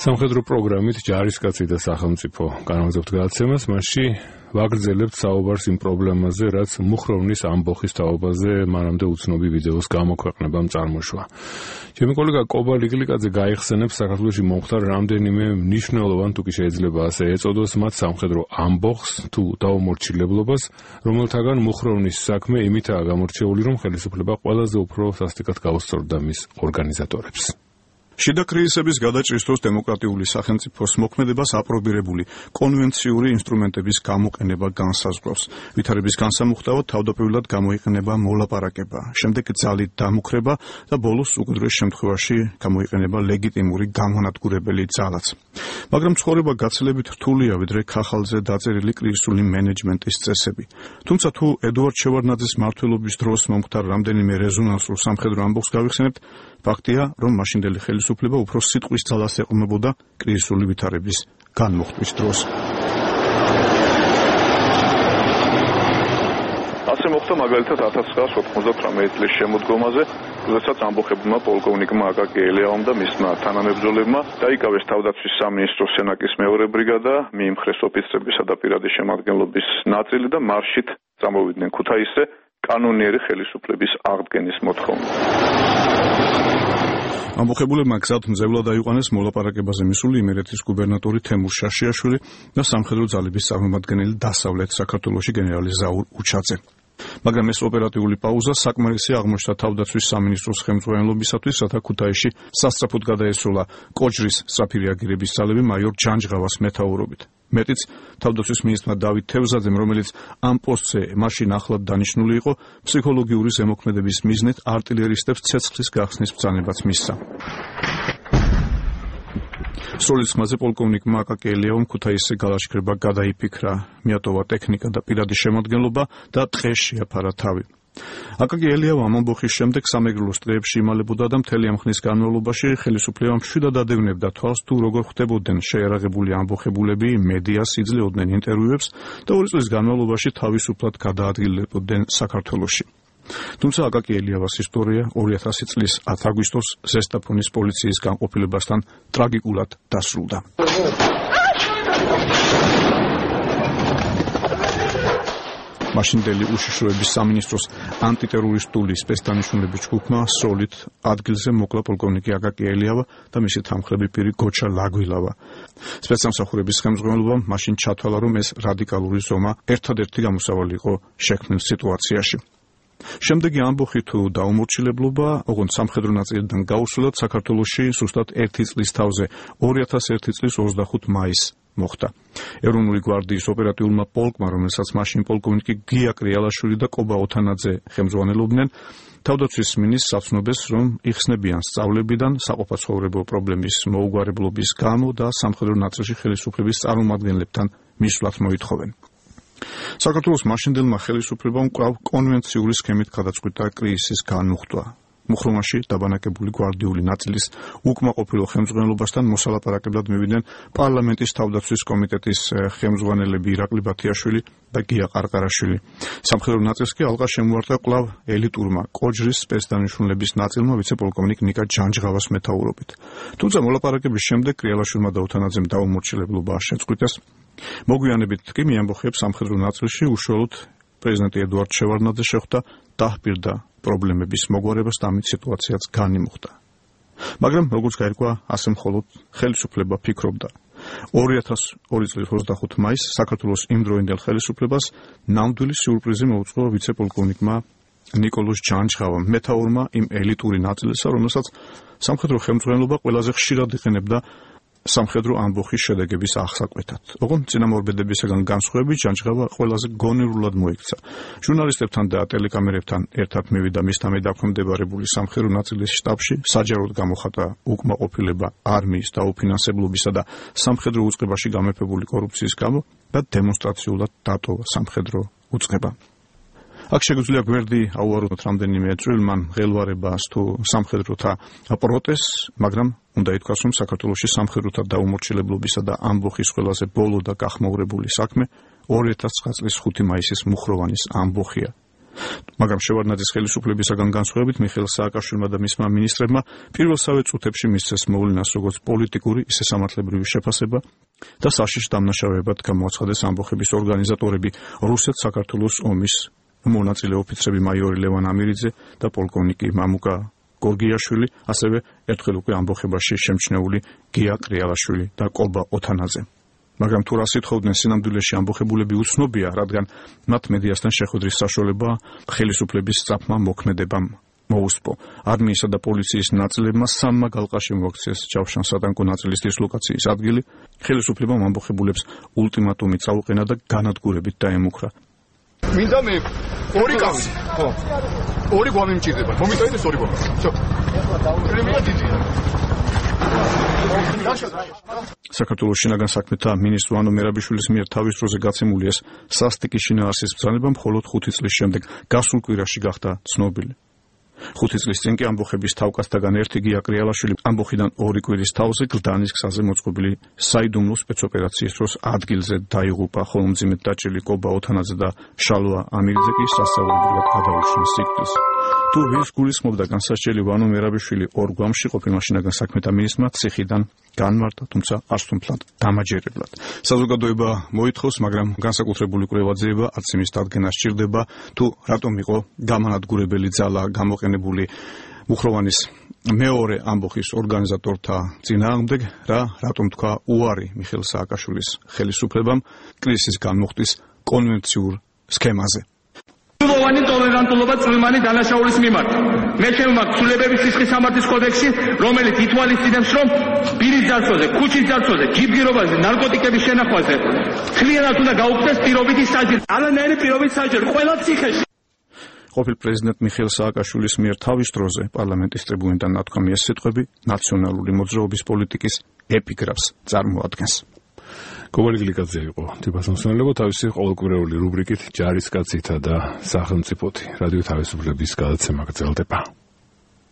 სამხედრო პროგრამით ჯარისკაცი და სახელმწიფო განაგრძობთ გადაცემას, მასში ვაგრძელებთ საუბარს იმ პრობლემაზე, რაც მუხროვნის ამბოხის თაობაზე მანამდე უცნობი ვიდეოს გამოქვეყნებამ წარმოშვა. ჩემი კოლეგა კობა ლიგლიკაძე გაიხსენებს საქართველოში მომხდარ რამდენიმე მნიშვნელოვან, თუ კი შეიძლება ასე ეწოდოს, მათ სამხედრო ამბოხს თუ დაუმორჩილებლობას, რომელთაგან მუხროვნის საქმე იმითაა გამორჩეული, რომ ხელისუფლება ყველაზე უფრო სასტიკად გაუსწორდა მის ორგანიზატორებს. შიდა კრიზისების გადაჭრისთვის დემოკრატიული სახელმწიფოს მოქმედებას აპრობირებული კონვენციური ინსტრუმენტების გამოყენება განსაზღვრავს. ვითარების განსამუხტავად თავდაპირველად გამოიყენება მოლაპარაკება, შემდეგ ძალით დამუქრება და ბოლოს უკიდურეს შემთხვევაში გამოიყენება ლეგიტიმური გამონადგურებელი ძალაც. მაგრამ ცხოვრება გაცილებით რთულია, ვიდრე ქახალზე დაწერილი კრიზისული მენეჯმენტის წესები. თუმცა თუ ედუარდ შევარდნაძის მმართველობის დროს მომხდარ რამდენიმე რეზონანსულ სამხედრო ამბოხს გავიხსენებთ, ფაქტია, რომ მაშინდელი ხელისუფლება უფრო სიტყვის ძალას ეყრდნობოდა კრიზისული ვითარების განმუხტვის დროს. ასე მოხდა მაგალითად 1998 წლის შემოდგომაზე, როდესაც ამბოხებმა პოლკოვნიკმა აკაკი ელიავამ და მისმა თანამებრძოლებმა დაიკავეს თავდაცვის სამინისტროს სენაკის მეორე ბრიგადა, მიიმხრეს ოფიცრებისა და პირადი შემადგენლობის ნაწილი და მარშით წამოვიდნენ ქუთაისზე კანონიერი ხელისუფლების აღდგენის მოთხოვნით. ამბოხებულებმა გზად მძევლად აიყვანეს მოლაპარაკებაზე მისული იმერეთის გუბერნატორი თემურ შაშიაშვილი და სამხედრო ძალების წარმომადგენელი დასავლეთ საქართველოში გენერალი ზაურ უჩაძე. მაგრამ ეს ოპერატიული პაუზა საკმარისი აღმოჩნდა თავდაცვის სამინისტროს ხელმძღვანელობისათვის, რათა ქუთაისში სასწრაფოდ გადაესროლა კოჯრის სწრაფი რეაგირების ძალები მაიორ ჯანჯღავას მეთაურობით. მეტიც თავდაცვის მინისტრმა დავით თევზაძემ, რომელიც ამ პოსტზე მაშინ ახლად დანიშნული იყო, ფსიქოლოგიური ზემოქმედების მიზნით არტილერისტებს ცეცხლის გახსნის ბრძანებაც მისცა. სროლის ხმაზე პოლკოვნიკმა აკაკი ელიავამ ქუთაისზე გალაშქრება გადაიფიქრა, მიატოვა ტექნიკა და პირადი შემადგენლობა და ტყეს შეაფარა თავი. აკაკი ელიავა ამ ამბოხის შემდეგ სამეგრელოს ტყეებში იმალებოდა და მთელი ამ ხნის განმავლობაში ხელისუფლებამ მშვიდად ადევნებდა თვალს, თუ როგორ ხდებოდნენ შეიარაღებული ამბოხებულები, მედიას იძლეოდნენ ინტერვიუებს და 2 წლის განმავლობაში თავისუფლად გადაადგილდებოდნენ საქართველოში. თუმცა აკაკი ელიავას ისტორია 2000 წლის 10 აგვისტოს ზესტაფონის პოლიციის განყოფილებასთან ტრაგიკულად დასრულდა. მაშინდელი უშიშროების სამინისტროს ანტიტერორისტული სპეცდანიშნულების ჯგუფმა სროლით ადგილზე მოკლა პოლკოვნიკი აკაკი ელიავა და მისი თანმხლები პირი გოჩა ლაგვილავა. სპეცსამსახურების ხელმძღვანელობამ მაშინ ჩათვალა, რომ ეს რადიკალური ზომა ერთადერთი გამოსავალი იყო შექმნილ სიტუაციაში. შემდეგი ამბოხი თუ დაუმორჩილებლობა, ოღონდ სამხედრო ნაწილიდან გაუსვლელად საქართველოში სუსტად 1 წლის თავზე 2001 წლის 25 მაისს მოხდა. ეროვნული გვარდიის ოპერატიულმა პოლკმა, რომელსაც მაშინ პოლკოვნიკი გია კრიალაშვილი და კობა ოთანაძე ხელმძღვანელობდნენ, თავდაცვის მინისტრს აცნობეს, რომ იხსნებიან სწავლებიდან საყოფაცხოვრებო პრობლემის მოუგვარებლობის გამო და სამხედრო ნაწილში ხელისუფლების წარმომადგენლებთან მისვლაც მოითხოვენ. საქართველოს მაშინდელმა ხელისუფლებამ კვლავ კონვენციური სქემით გადაწყვიტა კრიზისის განმუხტვა. მუხროვანში დაბანაკებული გვარდიული ნაწილის უკმაყოფილო ხელმძღვანელობასთან მოსალაპარაკებლად მივიდნენ პარლამენტის თავდაცვის კომიტეტის ხელმძღვანელები ირაკლი ბათიაშვილი და გია ყარყარაშვილი. სამხედრო ნაწილს კი ალყა შემოარტყა კვლავ ელიტურმა კოჯრის სპეცდანიშნულების ნაწილმა ვიცე-პოლკოვნიკ ნიკა ჯანჯღავას მეთაურობით. თუმცა მოლაპარაკების შემდეგ კრიალაშვილმა და ოთანაძემ დაუმორჩილებლობა შეწყვიტეს. მოგვიანებით კი მიამბოხებს სამხედრო ნაწილში უშუალოდ პრეზიდენტი ედუარდ შევარდნაძე შეხვდა, დაჰპირდა პრობლემების მოგვარებას და ამით სიტუაციაც განიმუხტა. მაგრამ როგორც გაირკვა, ასე მხოლოდ ხელისუფლება ფიქრობდა. 2002 წლის 25 მაისს საქართველოს იმდროინდელ ხელისუფლებას ნამდვილი სიურპრიზი მოუწყო ვიცე-პოლკოვნიკმა ნიკოლოზ ჯანჯღავამ, მეთაურმა იმ ელიტური ნაწილისა, რომელსაც სამხედრო ხელმძღვანელობა ყველაზე ხშირად იყენებდა სამხედრო ამბოხის შედეგების აღსაკვეთად. ოღონდ წინამორბედებისაგან განსხვავებით ჯანჯღავა ყველაზე გონივრულად მოიქცა. ჟურნალისტებთან და ტელეკამერებთან ერთად მივიდა მისთამე დაქვემდებარებული სამხედრო ნაწილის შტაბში, საჯაროდ გამოხატა უკმაყოფილება არმიის დაუფინანსებლობისა და სამხედრო უწყებაში გამეფებული კორუფციის გამო და დემონსტრაციულად დატოვა სამხედრო უწყება. აქ შეგვიძლია გვერდი აუაროთ რამდენიმე წვრილმან მღელვარებას თუ სამხედროთა პროტესტს, მაგრამ უნდა ითქვას, რომ საქართველოში სამხედროთა დაუმორჩილებლობისა და ამბოხის ყველაზე ბოლო და გახმაურებული საქმე 2009 წლის 5 მაისის მუხროვანის ამბოხია. მაგრამ შევარდნაძის ხელისუფლებისაგან განსხვავებით მიხეილ სააკაშვილმა და მისმა მინისტრებმა პირველსავე წუთებში მისცეს მოვლენას როგორც პოლიტიკური, ისე სამართლებრივი შეფასება და საშიშ დამნაშავეებად გამოაცხადეს ამბოხების ორგანიზატორები რუსეთ-საქართველოს ომის მონაწილე ოფიცრები მაიორი ლევან ამირიძე და პოლკოვნიკი მამუკა გორგიაშვილი, ასევე ერთხელ უკვე ამბოხებაში შემჩნეული გია კრიალაშვილი და კობა ოთანაძე. მაგრამ თუ რას ითხოვდნენ სინამდვილეში ამბოხებულები უცნობია, რადგან მათ მედიასთან შეხვედრის საშუალება ხელისუფლების სწრაფმა მოქმედებამ მოუსპო. არმიისა და პოლიციის ნაწილებმა სამმა გალყაში მოაქციეს ჯავშან-სატანკო ნაწილის დისლოკაციის ადგილი. ხელისუფლებამ ამბოხებულებს ულტიმატუმი წაუყენა და განადგურებით დაემუქრა. მინდა მე ორი კაცი. ხო. ორი გვამი მჭირდება. მომიტანეს ორი გვამი. всё. პრემია დიდია. საქართველოს შინაგან საქმეთა მინისტრ ვანო მერაბიშვილის მიერ თავის დროზე გაცემული ეს სასტიკი შინაარსის ბრძანება მხოლოდ 5 წლის შემდეგ გასულ კვირაში გახდა ცნობილი. 5 წლის წინ კი ამბოხების თავკაცთაგან ერთი გია კრიალაშვილი ამბოხიდან 2 კვირის თავზე გლდანის გზაზე მოწყობილი საიდუმლო სპეცოპერაციის დროს ადგილზე დაიღუპა, ხოლო მძიმედ დაჭრილი კობა ოთანაძე და შალვა ამირიძე კი სასწაულებრივად გადაუშვეს სიკვდილს. თუ ვის გულისხმობდა განსასჯელი ვანო მერაბიშვილი ორ გვამში ყოფილმა შინაგან საქმეთა მინისტრმა ციხიდან განმარტა, თუმცა არც თუ მთლად დამაჯერებლად. საზოგადოება მოითხოვს, მაგრამ განსაკუთრებული კვლევა ძიება, არც იმის დადგენა სჭირდება, თუ რატომ იყო გამანადგურებელი ძალა გამოყენებული მუხროვანის მეორე ამბოხის ორგანიზატორთა წინააღმდეგ, რატომ თქვა უარი მიხეილ სააკაშვილის ხელისუფლებამ კრიზისის განმუხტის კონვენციურ სქემაზე. მუხროვანი ტოლერანტულობა წვიმანი დანაშაულის მიმართ. მე შევმაგ ცვლილებების სისხლის სამართლის კოდექსში, რომელიც ითვალისწინებს, რომ პირის ძარცვაზე, ქუჩის ძარცვაზე, ჯიბგირობაზე, ნარკოტიკების შენახვაზე თლიანად უნდა გაუქმდეს პირობითი საჭირო. არანაირი პირობითი საჭირო ყველა ციხეში. ყოფილ პრეზიდენტ მიხეილ სააკაშვილის მიერ თავის დროზე პარლამენტის ტრიბუნიდან ნათქვამი ეს სიტყვები ნაციონალური მოძრაობის პოლიტიკის ეპიგრაფს წარმოადგენს. გოგოლი გლიკაძე იყო თვითმსახურებო თავისი ყოველკვირეული რუბრიკით ჯარისკაცითა და სახელმწიფოთი რადიო თავისუფლების გადაცემა გრძელდება.